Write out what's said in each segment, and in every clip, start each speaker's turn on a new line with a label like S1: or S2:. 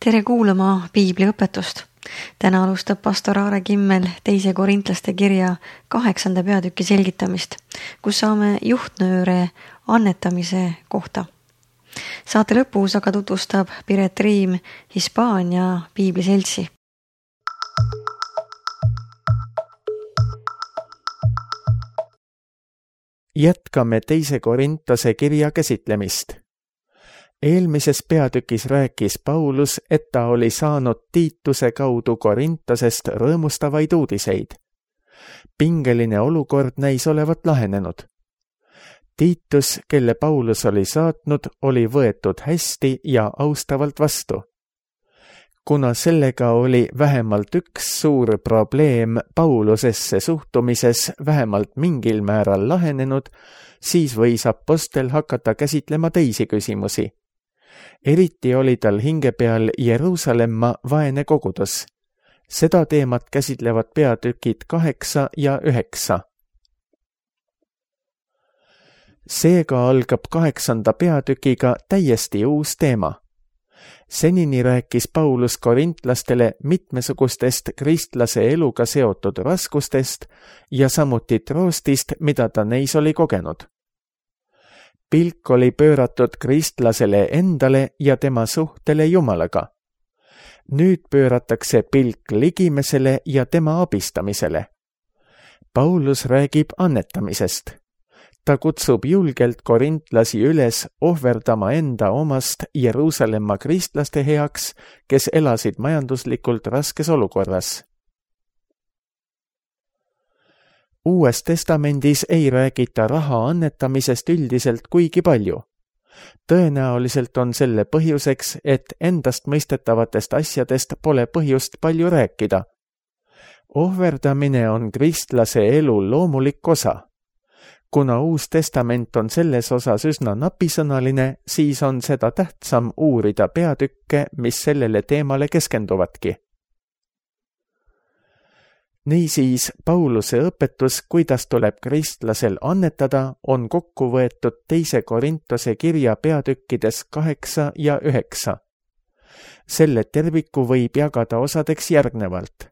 S1: Tere kuulama piibliõpetust. Täna alustab pastor Aare Kimmel 2. Korintlaste kirja 8. peatüki selgitamist, kus saame juhtnööre annetamise kohta. Saate lõpus aga tutvustab Piret Riim Hispaania piibliseltsi.
S2: Jätkame 2. Korintase kirja käsitlemist. Eelmises peatükis rääkis Paulus, et ta oli saanud Tiituse kaudu Korintasest rõõmustavaid uudiseid. Pingeline olukord näis olevat lahenenud. Tiitus, kelle Paulus oli saatnud, oli võetud hästi ja austavalt vastu. Kuna sellega oli vähemalt üks suur probleem Paulusesse suhtumises vähemalt mingil määral lahenenud, siis võis apostel hakata käsitlema teisi küsimusi. Eriti oli tal hinge peal Jeruusalemma vaene kogudus. Seda teemat käsitlevad peatükid 8 ja 9. Seega algab 8. peatükiga täiesti uus teema. Senini rääkis Paulus korintlastele mitmesugustest kristlase eluga seotud raskustest ja samuti troostist, mida ta neis oli kogenud. Pilk oli pööratud kristlasele endale ja tema suhtele Jumalaga. Nüüd pööratakse pilk ligimesele ja tema abistamisele. Paulus räägib annetamisest. Ta kutsub julgelt korintlasi üles ohverdama enda omast Jeruusalemma kristlaste heaks, kes elasid majanduslikult raskes olukorras. Uues testamendis ei räägita raha annetamisest üldiselt kuigi palju. Tõenäoliselt on selle põhjuseks, et endastmõistetavatest asjadest pole põhjust palju rääkida. Ohverdamine on kristlase elu loomulik osa. Kuna Uus Testament on selles osas üsna napisõnaline, siis on seda tähtsam uurida peatükke, mis sellele teemale keskenduvadki. Niisiis, Pauluse õpetus, kuidas tuleb kristlasel annetada, on kokku võetud 2. Korintase kirja peatükkides 8 ja 9. Selle terviku võib jagada osadeks järgnevalt.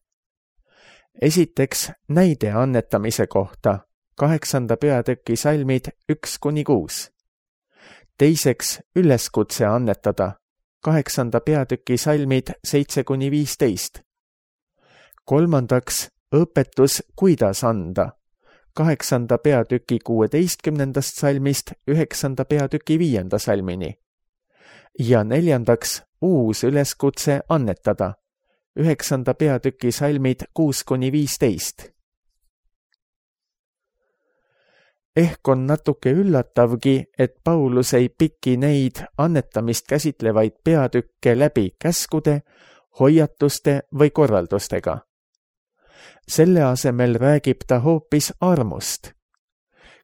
S2: Esiteks, näide annetamise kohta, 8. peatüki salmid 1-6. Teiseks, üleskutse annetada, 8. peatüki salmid 7-15. Kolmandaks, õpetus, kuidas anda, 8. peatüki 16. salmist 9. peatüki 5. salmini. Ja neljandaks, uus üleskutse annetada, 9. peatüki salmid 6-15. Ehk on natuke üllatavgi, et Paulus ei piki neid annetamist käsitlevaid peatükke läbi käskude, hoiatuste või korraldustega. Selle asemel räägib ta hoopis armust.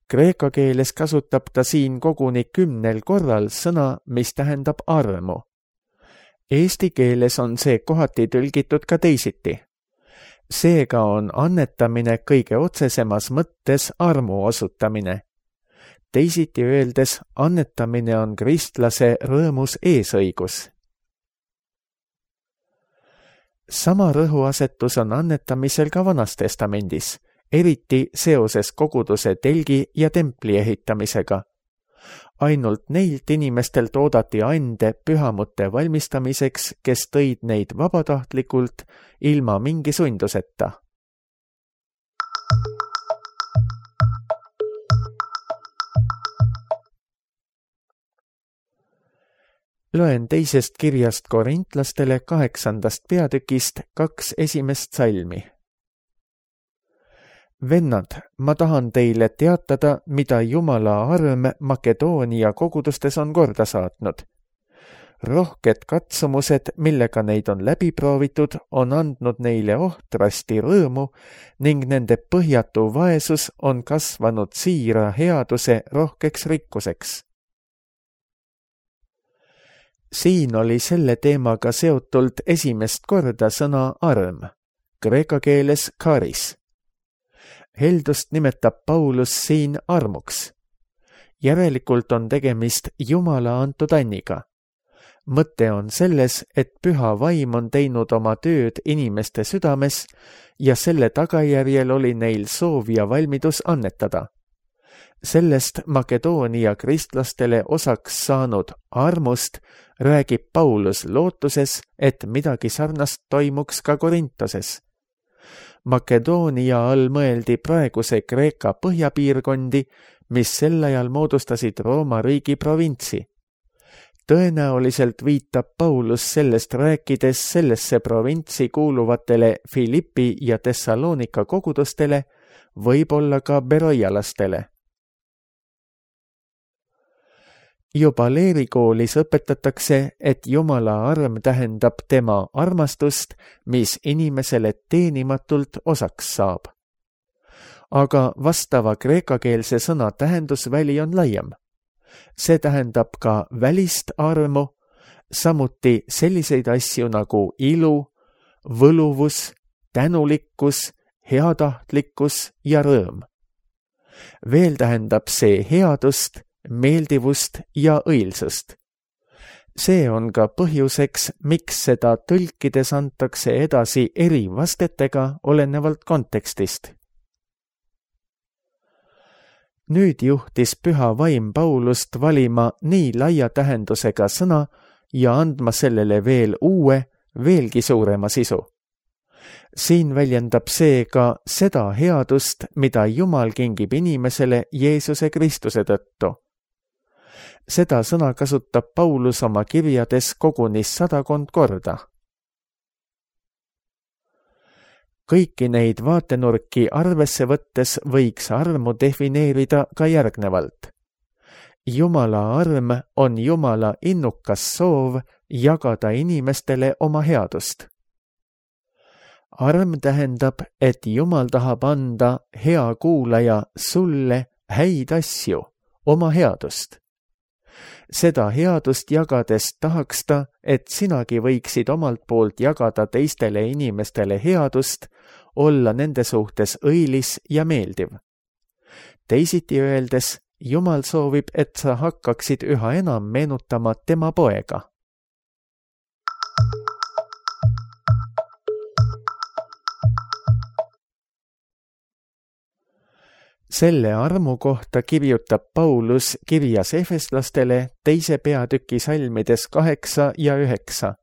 S2: Kreeka keeles kasutab ta siin koguni 10 korral sõna, mis tähendab armu. Eesti keeles on see kohati tõlgitud ka teisiti. Seega on annetamine kõige otsesemas mõttes armu osutamine. Teisiti öeldes, annetamine on kristlase rõõmus eesõigus. Sama rõhuasetus on annetamisel ka Vanas Testamendis, eriti seoses koguduse telgi ja templi ehitamisega. Ainult neilt inimestelt oodati ande pühamute valmistamiseks, kes tõid neid vabatahtlikult ilma mingi sunduseta. Loen 2. kirjast korintlastele 8. peatükist 2 esimest salmi. Vennad, ma tahan teile teatada, mida Jumala arm Makedoonia kogudustes on korda saatnud. Rohked katsumused, millega neid on läbi proovitud, on andnud neile ohtrasti rõõmu ning nende põhjatu vaesus on kasvanud siira headuse rohkeks rikkuseks. Siin oli selle teemaga seotult esimest korda sõna arm, kreeka keeles charis. Heldust nimetab Paulus siin armuks. Järelikult on tegemist Jumala antud anniga. mõte on selles, et püha vaim on teinud oma tööd inimeste südames ja selle tagajärjel oli neil soov ja valmidus annetada. Sellest Makedoonia kristlastele osaks saanud armust räägib Paulus lootuses, et midagi sarnast toimuks ka Korintoses. Makedoonia all mõeldi praeguse Kreeka põhjapiirkondi, mis sel ajal moodustasid Rooma riigi provintsi. Tõenäoliselt viitab Paulus sellest rääkides sellesse provintsi kuuluvatele Philippi ja Thessalonika kogudustele, võib-olla ka beroialastele. Juba leerikoolis õpetatakse, et Jumala arm tähendab tema armastust, mis inimesele teenimatult osaks saab. Aga vastava kreekakeelse sõna tähendusväli on laiem. See tähendab ka välist armu, samuti selliseid asju nagu ilu, võluvus, tänulikkus, heatahtlikkus ja rõõm. Veel tähendab see headust, meeldivust ja õilsust. See on ka põhjuseks, miks seda tõlkides antakse edasi eri vastetega olenevalt kontekstist. Nüüd juhtis püha vaim Paulust valima nii laia tähendusega sõna ja andma sellele veel uue, veelgi suurema sisu. Siin väljendab see ka seda headust, mida Jumal kingib inimesele Jeesuse Kristuse tõttu. Seda sõna kasutab Paulus oma kirjades koguni 100 korda. Kõiki neid vaatenurki arvesse võttes võiks armu defineerida ka järgnevalt. Jumala arm on Jumala innukas soov jagada inimestele oma headust. Arm tähendab, et Jumal tahab anda, hea kuulaja, sulle häid asju, oma headust. Seda headust jagades tahaks ta, et sinagi võiksid omalt poolt jagada teistele inimestele headust, olla nende suhtes õilis ja meeldiv. Teisiti öeldes, Jumal soovib, et sa hakkaksid üha enam meenutama tema poega. Selle armu kohta kirjutab Paulus kirjas efeslastele 2. peatüki salmides 8 ja 9.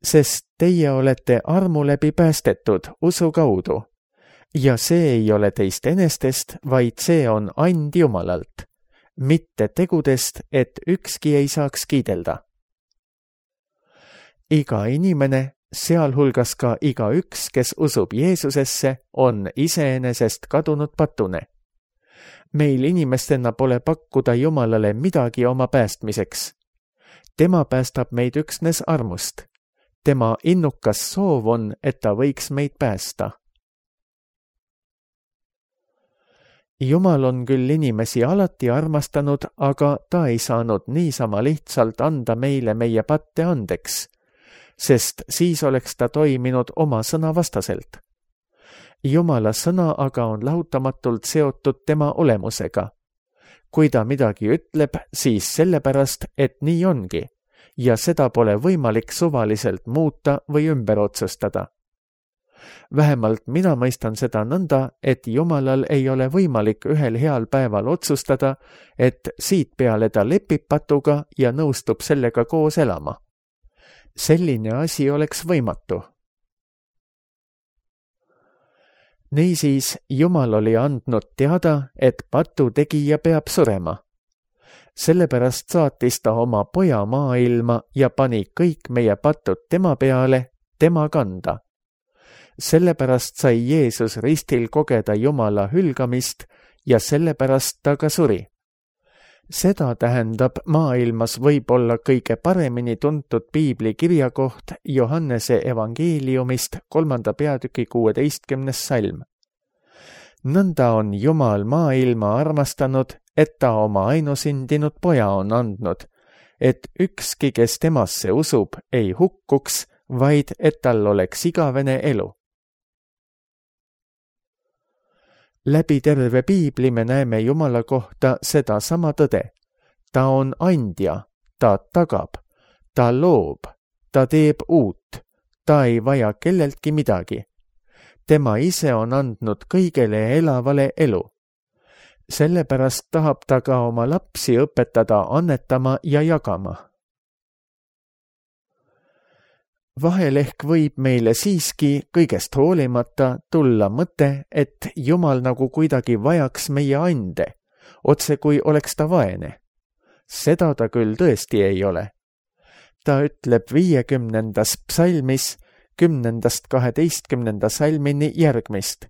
S2: Sest teie olete armu läbi päästetud usu kaudu, ja see ei ole teist enestest, vaid see on and Jumalalt, mitte tegudest, et ükski ei saaks kiidelda. Iga inimene, sealhulgas ka igaüks, kes usub Jeesusesse, on iseenesest kadunud patune. Meil inimestena pole pakkuda Jumalale midagi oma päästmiseks. Tema päästab meid üksnes armust. Tema innukas soov on, et ta võiks meid päästa. Jumal on küll inimesi alati armastanud, aga ta ei saanud niisama lihtsalt anda meile meie patte andeks, sest siis oleks ta toiminud oma sõna vastaselt. Jumala sõna aga on lahutamatult seotud tema olemusega. Kui ta midagi ütleb, siis sellepärast, et nii ongi, ja seda pole võimalik suvaliselt muuta või ümber otsustada. Vähemalt mina mõistan seda nõnda, et Jumalal ei ole võimalik ühel heal päeval otsustada, et siit peale ta lepib patuga ja nõustub sellega koos elama. Selline asi oleks võimatu. Niisiis, Jumal oli andnud teada, et patu tegija peab surema. Sellepärast saatis ta oma poja maailma ja pani kõik meie patud tema peale, tema kanda. Sellepärast sai Jeesus ristil kogeda Jumala hülgamist ja sellepärast ta ka suri. Seda tähendab maailmas võib-olla kõige paremini tuntud piibli kirjakoht Johannese evangeeliumist 3. peatüki 16. salm. Nõnda on Jumal maailma armastanud, et ta oma ainusündinud poja on andnud, et ükski, kes temasse usub, ei hukkuks, vaid et tal oleks igavene elu. Läbi terve piibli me näeme Jumala kohta seda sama tõde. Ta on andja, ta tagab, Ta loob, ta teeb uut, ta ei vaja kelleltki midagi. Tema ise on andnud kõigele elavale elu. Sellepärast tahab ta ka oma lapsi õpetada annetama ja jagama. Vahel ehk võib meile siiski kõigest hoolimata tulla mõte, et Jumal nagu kuidagi vajaks meie ande, otse kui oleks ta vaene. Seda ta küll tõesti ei ole. Ta ütleb 50. psalmis 10.–12. salmini järgmist.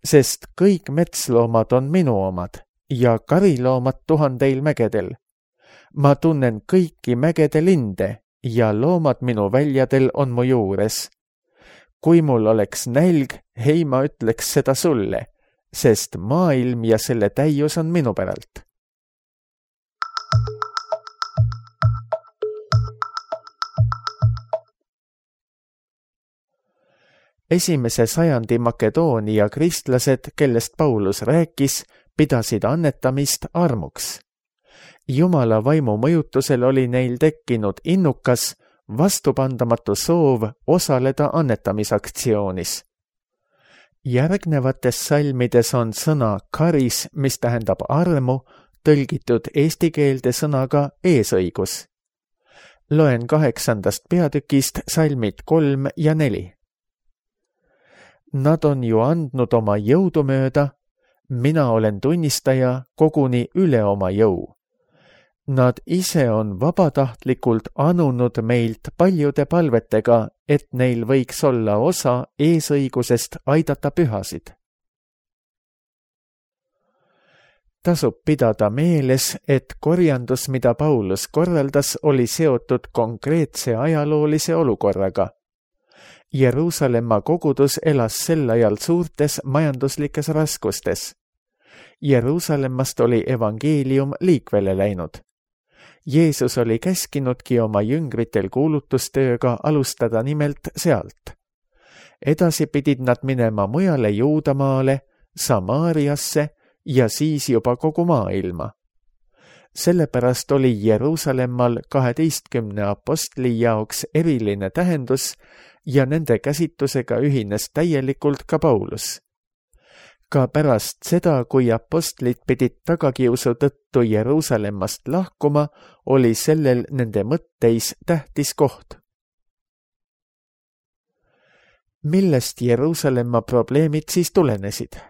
S2: Sest kõik metsloomad on minu omad ja kariloomad 1000 mägedel. Ma tunnen kõiki mägede linde ja loomad minu väljadel on mu juures. Kui mul oleks nälg, hei, ma ütleks seda sulle, sest maailm ja selle täius on minu päralt. Esimese sajandi Makedoonia kristlased, kellest Paulus rääkis, pidasid annetamist armuks. Jumala vaimu mõjutusel oli neil tekkinud innukas, vastupandamatu soov osaleda annetamisaktsioonis. Järgnevates salmides on sõna karis, mis tähendab armu, tõlgitud eesti keelde sõnaga eesõigus. Loen 8. peatükist salmid 3 ja 4. Nad on ju andnud oma jõudu mööda, mina olen tunnistaja koguni üle oma jõu. Nad ise on vabatahtlikult anunud meilt paljude palvetega, et neil võiks olla osa eesõigusest aidata pühasid. Tasub pidada meeles, et korjandus, mida Paulus korraldas, oli seotud konkreetse ajaloolise olukorraga. Jeruusalemma kogudus elas sel ajal suurtes majanduslikes raskustes. Jeruusalemmast oli evangeelium liikvele läinud. Jeesus oli käskinudki oma jüngritel kuulutustööga alustada nimelt sealt. Edasi pidid nad minema mujale Juudamaale, Samaariasse ja siis juba kogu maailma. Sellepärast oli Jeruusalemmal 12 apostli jaoks eriline tähendus ja nende käsitlusega ühines täielikult ka Paulus. Ka pärast seda, kui apostlid pidid tagakiusu tõttu Jeruusalemmast lahkuma, oli sellel nende mõtteis tähtis koht. Millest Jeruusalemma probleemid siis tulenesid?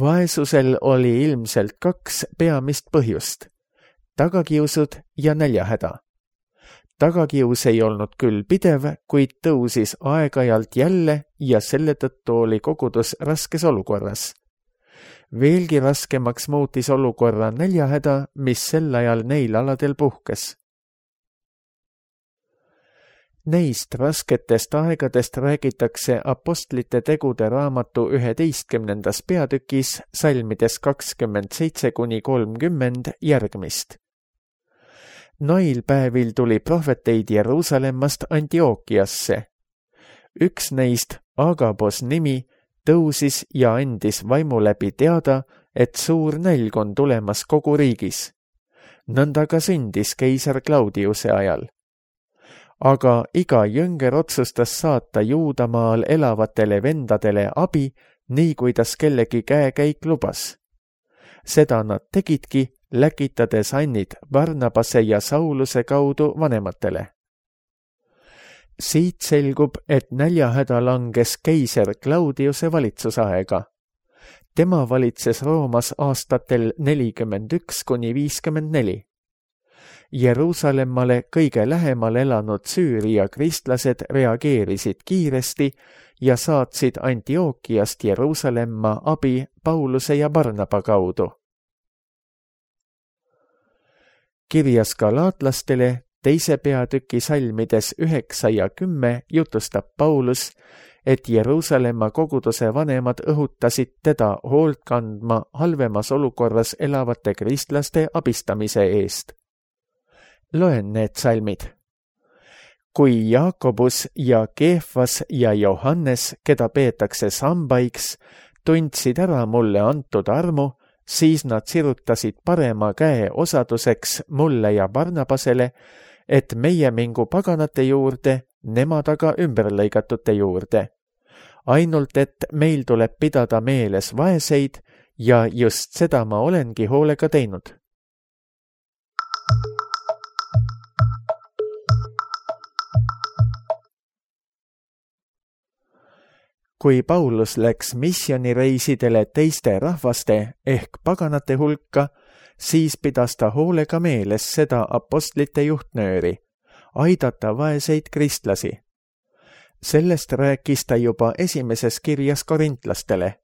S2: Vaesusel oli ilmselt 2 peamist põhjust: tagakiusud ja näljahäda. Tagakius ei olnud küll pidev, kuid tõusis aeg-ajalt jälle ja selle tõttu oli kogudus raskes olukorras. Veelgi raskemaks muutis olukorra näljahäda, mis sel ajal neil aladel puhkes. Neist rasketest aegadest räägitakse apostlite tegude raamatu 11. peatükis salmides 27–30 järgmist. Noil päevil tuli prohveteid Jeruusalemmast Antiookiasse. Üks neist, Agabos nimi, tõusis ja andis vaimu läbi teada, et suur nälg on tulemas kogu riigis. Nõnda ka sündis keisar Claudiuse ajal. Aga iga jünger otsustas saata Juudamaal elavatele vendadele abi, nii kuidas kellegi käekäik lubas. Seda nad tegidki, läkitades annid Barnabase ja Sauluse kaudu vanematele. Siit selgub, et näljahäda langes keiser Claudiuse valitsusaega. Tema valitses Roomas aastatel 41–54. Jeruusalemmale kõige lähemal elanud Süüria kristlased reageerisid kiiresti ja saatsid Antiookiast Jeruusalemma abi Pauluse ja Barnaba kaudu. Kirjas galaatlastele 2. peatüki salmides 9 ja 10 jutustab Paulus, et Jeruusalemma koguduse vanemad õhutasid teda hoolt kandma halvemas olukorras elavate kristlaste abistamise eest. Loen need salmid. Kui Jaakobus ja Keefas ja Johannes, keda peetakse sambaiks, tundsid ära mulle antud armu, siis nad sirutasid parema käe osaduseks mulle ja Barnabasele, et meie mingu paganate juurde, nemad aga ümberlõigatute juurde. Ainult, et meil tuleb pidada meeles vaeseid ja just seda ma olengi hoolega teinud. Kui Paulus läks missioonireisidele teiste rahvaste ehk paganate hulka, siis pidas ta hoolega meeles seda apostlite juhtnööri, aidata vaeseid kristlasi. Sellest rääkis ta juba esimeses kirjas korintlastele.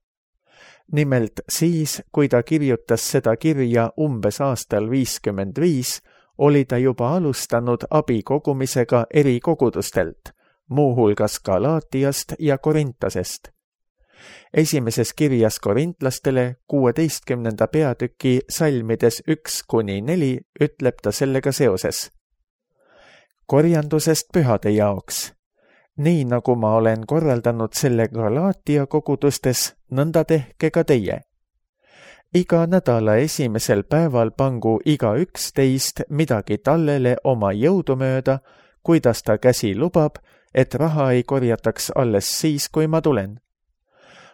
S2: Nimelt siis, kui ta kirjutas seda kirja umbes aastal 55, oli ta juba alustanud abi kogumisega eri kogudustelt, muuhulgas Galaatiast ja Korintasest. Esimeses kirjas korintlastele 16. peatüki salmides 1-4 ütleb ta sellega seoses. Korjandusest pühade jaoks. Nii nagu ma olen korraldanud selle Galaatia kogudustes, nõnda tehke ka teie. Iga nädala esimesel päeval pangu igaüks teist midagi tallele oma jõudumööda, kuidas ta käsi lubab, et raha ei korjataks alles siis, kui ma tulen.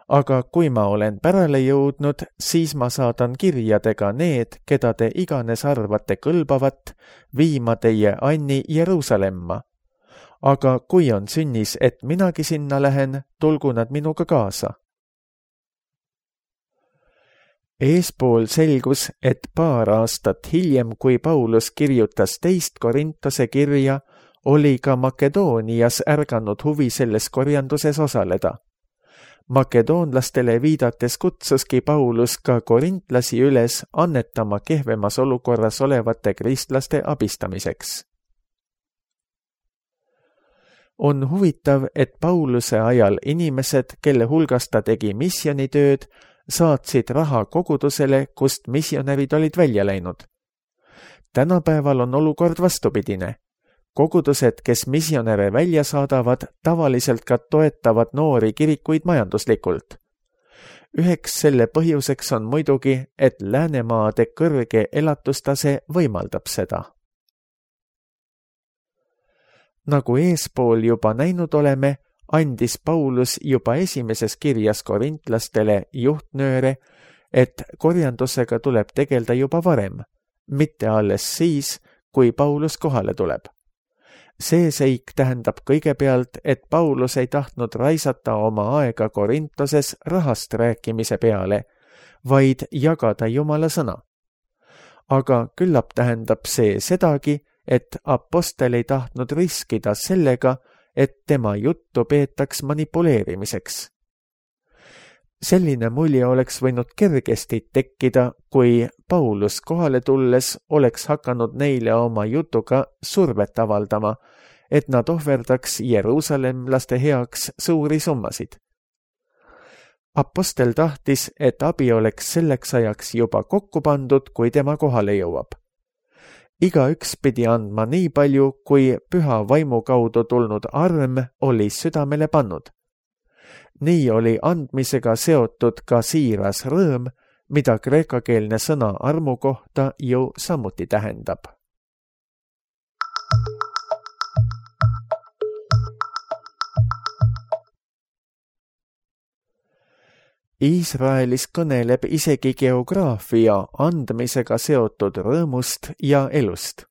S2: Aga kui ma olen pärale jõudnud, siis ma saadan kirjadega need, keda te iganes arvate kõlbavat, viima teie Anni Jeruusalemma. Aga kui on sünnis, et minagi sinna lähen, tulgu nad minuga kaasa. Eespool selgus, et paar aastat hiljem, kui Paulus kirjutas teist Korintase kirja, oli ka Makedoonias ärganud huvi selles korjanduses osaleda. Makedoonlastele viidates kutsuski Paulus ka korintlasi üles annetama kehvemas olukorras olevate kristlaste abistamiseks. On huvitav, et Pauluse ajal inimesed, kelle hulgas ta tegi missioonitööd, saatsid raha kogudusele, kust missionärid olid välja läinud. Tänapäeval on olukord vastupidine. Kogudused, kes missionäre välja saadavad, tavaliselt ka toetavad noori kirikuid majanduslikult. Üheks selle põhjuseks on muidugi, et Läänemaade kõrge elatustase võimaldab seda. Nagu eespool juba näinud oleme, andis Paulus juba esimeses kirjas korintlastele juhtnööre, et korjandusega tuleb tegelda juba varem, mitte alles siis, kui Paulus kohale tuleb. See seik tähendab kõigepealt, et Paulus ei tahtnud raisata oma aega Korintoses rahast rääkimise peale, vaid jagada Jumala sõna. Aga küllap tähendab see sedagi, et apostel ei tahtnud riskida sellega, et tema juttu peetaks manipuleerimiseks. Selline mulje oleks võinud kergesti tekkida, kui Paulus kohale tulles oleks hakanud neile oma jutuga survet avaldama, et nad ohverdaks jeruusalemlaste heaks suuri summasid. Apostel tahtis, et abi oleks selleks ajaks juba kokku pandud, kui tema kohale jõuab. Igaüks pidi andma nii palju, kui püha vaimu kaudu tulnud arm oli südamele pannud. Nii oli andmisega seotud ka siiras rõõm, mida kreekakeelne sõna armu kohta ju samuti tähendab. Iisraelis kõneleb isegi geograafia andmisega seotud rõõmust ja elust.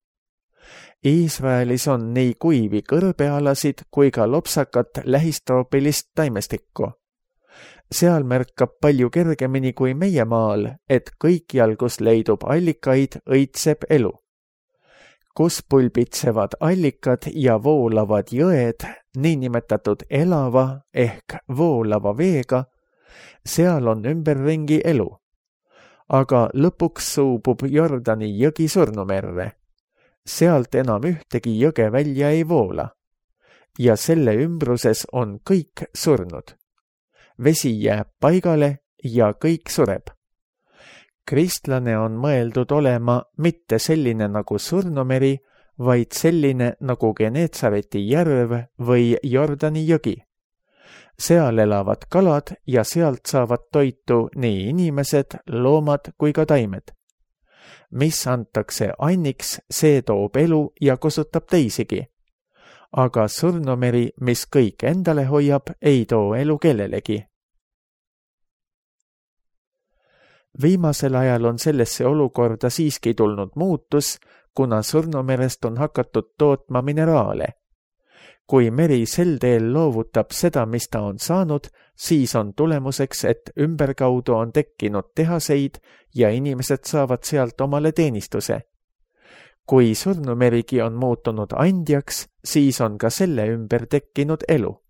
S2: Iisraelis on nii kuivi kõrbealasid kui ka lopsakat lähistroopilist taimestikku. Seal märkab palju kergemini kui meie maal, et kõikjal, kus leidub allikaid, õitseb elu. Kus pulbitsevad allikad ja voolavad jõed, niinimetatud elava ehk voolava veega, seal on ümberringi elu. Aga lõpuks suubub Jordani jõgi surnumerre. Sealt enam ühtegi jõge välja ei voola. Ja selle ümbruses on kõik surnud. Vesi jääb paigale ja kõik sureb. Kristlane on mõeldud olema mitte selline nagu surnumeri, vaid selline nagu Geneetsareti järv või Jordani jõgi. Seal elavad kalad ja sealt saavad toitu nii inimesed, loomad kui ka taimed. mis antakse anniks, see toob elu ja kosutab teisigi. Aga surnumeri, mis kõik endale hoiab, ei too elu kellelegi. Viimasel ajal on sellesse olukorda siiski tulnud muutus, kuna surnumerest on hakatud tootma mineraale. Kui meri sel teel loovutab seda, mis ta on saanud, siis on tulemuseks, et ümberkaudu on tekkinud tehaseid ja inimesed saavad sealt omale teenistuse. Kui surnumerigi on muutunud andjaks, siis on ka selle ümber tekkinud elu.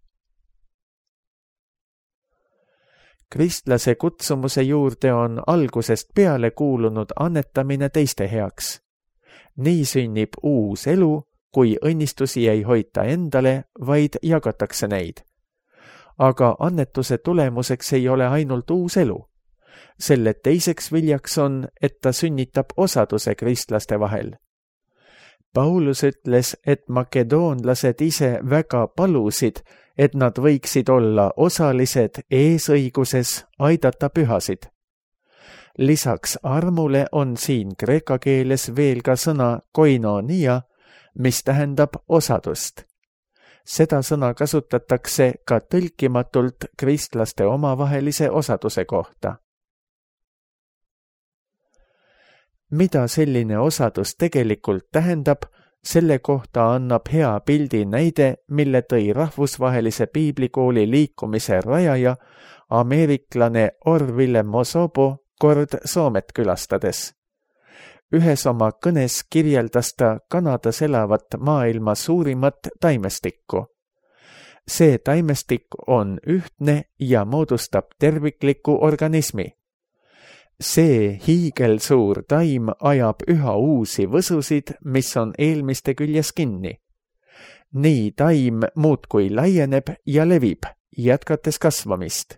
S2: Kristlase kutsumuse juurde on algusest peale kuulunud annetamine teiste heaks. Nii sünnib uus elu, kui õnnistusi ei hoita endale, vaid jagatakse neid. Aga annetuse tulemuseks ei ole ainult uus elu. Selle teiseks viljaks on, et ta sünnitab osaduse kristlaste vahel. Paulus ütles, et makedoonlased ise väga palusid, et nad võiksid olla osalised eesõiguses aidata pühasid. Lisaks armule on siin kreeka keeles veel ka sõna koinonia, mis tähendab osadust. Seda sõna kasutatakse ka tõlkimatult kristlaste omavahelise osaduse kohta. Mida selline osadus tegelikult tähendab, selle kohta annab hea pildi näide, mille tõi rahvusvahelise piiblikooli liikumise rajaja, ameeriklane Orville Mosobo kord Soomet külastades. Ühes oma kõnes kirjeldas ta Kanadas elavat maailma suurimat taimestikku. See taimestik on ühtne ja moodustab tervikliku organismi. See hiigelsuur taim ajab üha uusi võsusid, mis on eelmiste küljes kinni. Nii taim muudkui laieneb ja levib, jätkates kasvamist.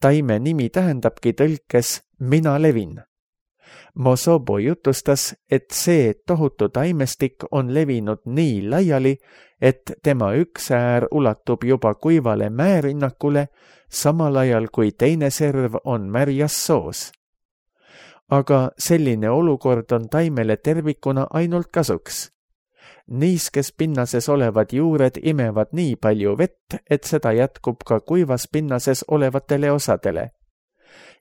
S2: Taime nimi tähendabki tõlkes mina levin. Mosobo jutustas, et see tohutu taimestik on levinud nii laiali, et tema üks äär ulatub juba kuivale mäerinnakule, samal ajal kui teine serv on märjas soos. Aga selline olukord on taimele tervikuna ainult kasuks. Niiskes pinnases olevad juured imevad nii palju vett, et seda jätkub ka kuivas pinnases olevatele osadele.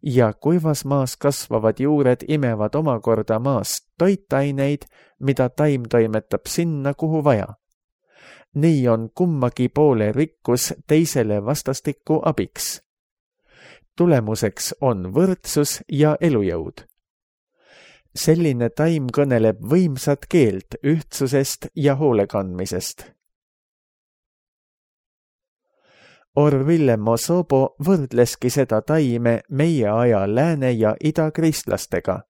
S2: Ja kuivas maas kasvavad juured imevad omakorda maast toitaineid, mida taim toimetab sinna, kuhu vaja. Nii on kummagi poole rikkus teisele vastastikku abiks. Tulemuseks on võrdsus ja elujõud. Selline taim kõneleb võimsat keelt ühtsusest ja hoolekandmisest. Orville Mosobo võrdleski seda taime meie aja lääne- ja idakristlastega.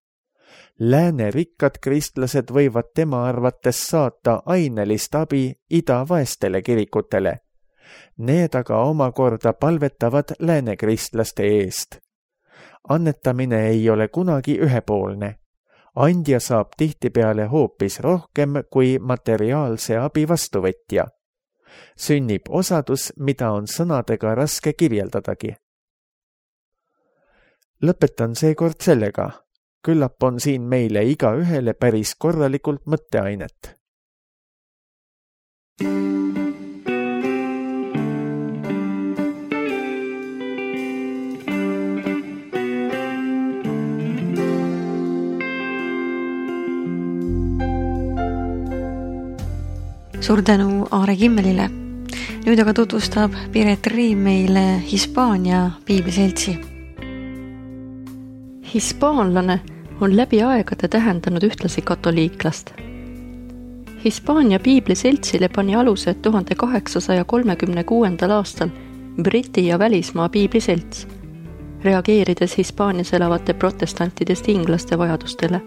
S2: Lääne rikkad kristlased võivad tema arvates saata ainelist abi idavaestele kirikutele. Need aga omakorda palvetavad lääne kristlaste eest. Annetamine ei ole kunagi ühepoolne. Andja saab tihtipeale hoopis rohkem kui materiaalse abi vastuvõtja. Sünnib osadus, mida on sõnadega raske kirjeldadagi. Lõpetan seekord sellega. Küllap on siin meile igaühele päris korralikult mõtteainet.
S1: Suur tänu Aare Kimmelile. Nüüd aga tutvustab Piret Riim meile Hispaania piibliseltsi.
S3: Hispaanlane on läbi aegade tähendanud ühtlasi katoliiklast. Hispaania piibliseltsile pani aluse 1836. aastal Briti ja välismaa piibliselts, reageerides Hispaanias elavate protestantidest inglaste vajadustele.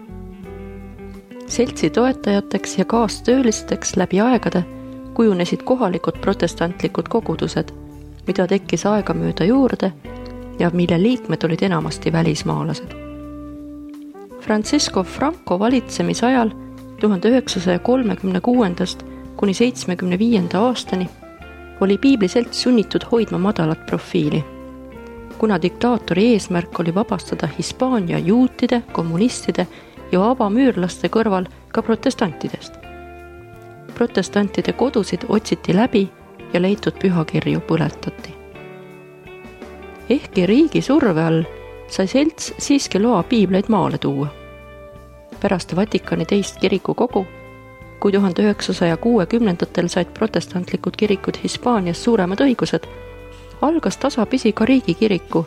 S3: Seltsi toetajateks ja kaastöölisteks läbi aegade kujunesid kohalikud protestantlikud kogudused, mida tekkis aegamööda juurde ja mille liikmed olid enamasti välismaalased. Francisco Franco valitsemisajal 1936. kuni 1975. aastani oli piibliselts sunnitud hoidma madalat profiili, kuna diktaatori eesmärk oli vabastada Hispaania juutide, kommunistide ja vabamüürlaste kõrval ka protestantidest. Protestantide kodusid otsiti läbi ja leitud pühakirju põletati. Ehkki riigi surve all sai selts siiski loa piibleid maale tuua. Pärast Vatikani teist kirikukogu, kui 1960-ndatel said protestantlikud kirikud Hispaanias suuremad õigused, algas tasapisi ka riigikiriku,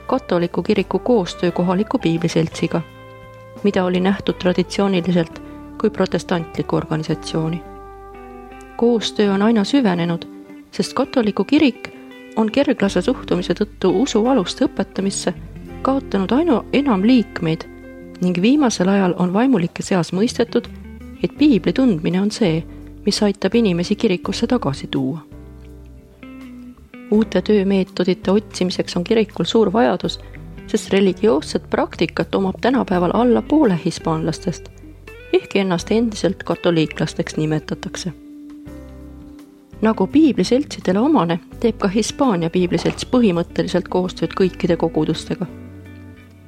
S3: katoliku kiriku koostöö kohaliku piibliseltsiga, mida oli nähtud traditsiooniliselt kui protestantliku organisatsiooni. Koostöö on aina süvenenud, sest katoliku kirik on kerglase suhtumise tõttu usualuste õpetamisse kaotanud aina enam liikmeid ning viimasel ajal on vaimulike seas mõistetud, et piibli tundmine on see, mis aitab inimesi kirikusse tagasi tuua. Uute töömeetodite otsimiseks on kirikul suur vajadus, sest religioosset praktikat omab tänapäeval alla poole hispaanlastest, ehkki ennast endiselt katoliiklasteks nimetatakse. Nagu piibliseltsidele omane, teeb ka Hispaania piibliselts põhimõtteliselt koostööd kõikide kogudustega.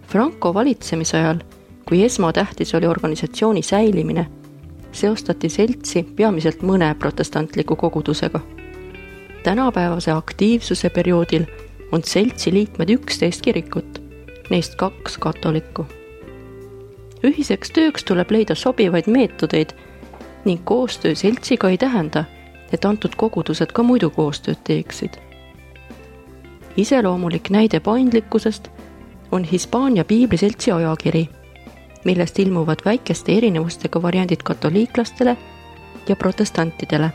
S3: Franco valitsemise ajal, kui esmatähtis oli organisatsiooni säilimine, seostati seltsi peamiselt mõne protestantliku kogudusega. Tänapäevase aktiivsuse perioodil on seltsi liikmed 11 kirikut, neist 2 katolikku. Ühiseks tööks tuleb leida sobivaid meetodeid ning koostöö seltsiga ei tähenda, et antud kogudused ka muidu koostööd teeksid. Iseloomulik näide paindlikkusest on Hispaania piibliseltsi ajakiri, millest ilmuvad väikeste erinevustega variandid katoliiklastele ja protestantidele.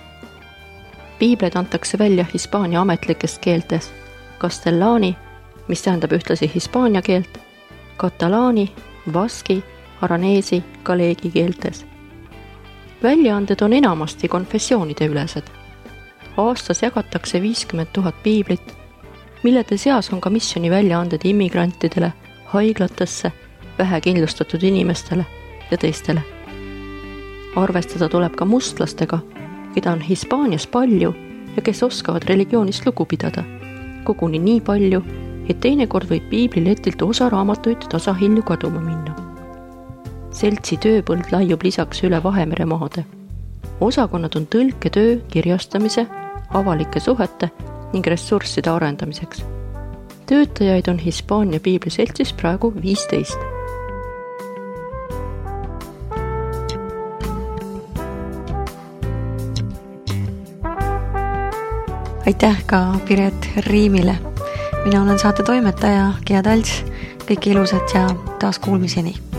S3: Piibleid antakse välja Hispaania ametlikes keeltes castellani, mis tähendab ühtlasi hispaania keelt, katalaani, baski, araneesi, galeegi keeltes. Väljaanded on enamasti konfessioonide ülesed. Aastas jagatakse 50 000 piiblit, millede seas on ka missiooni väljaanded immigrantidele, haiglatesse, vähekindlustatud inimestele ja teistele. Arvestada tuleb ka mustlastega, keda on Hispaanias palju ja kes oskavad religioonist lugu pidada, koguni nii palju, et teinekord võib piibliletilt osa raamatuid tasahilju kaduma minna. Seltsi tööpõld laiub lisaks üle Vahemere maade. Osakonnad on tõlketöö, kirjastamise, avalike suhete ning ressursside arendamiseks. Töötajaid on Hispaania piibliseltsis praegu 15.
S1: Aitäh ka Piret Riimile. Mina olen saate toimetaja Gea Talts. Kõik ilusat ja taas kuulmiseni.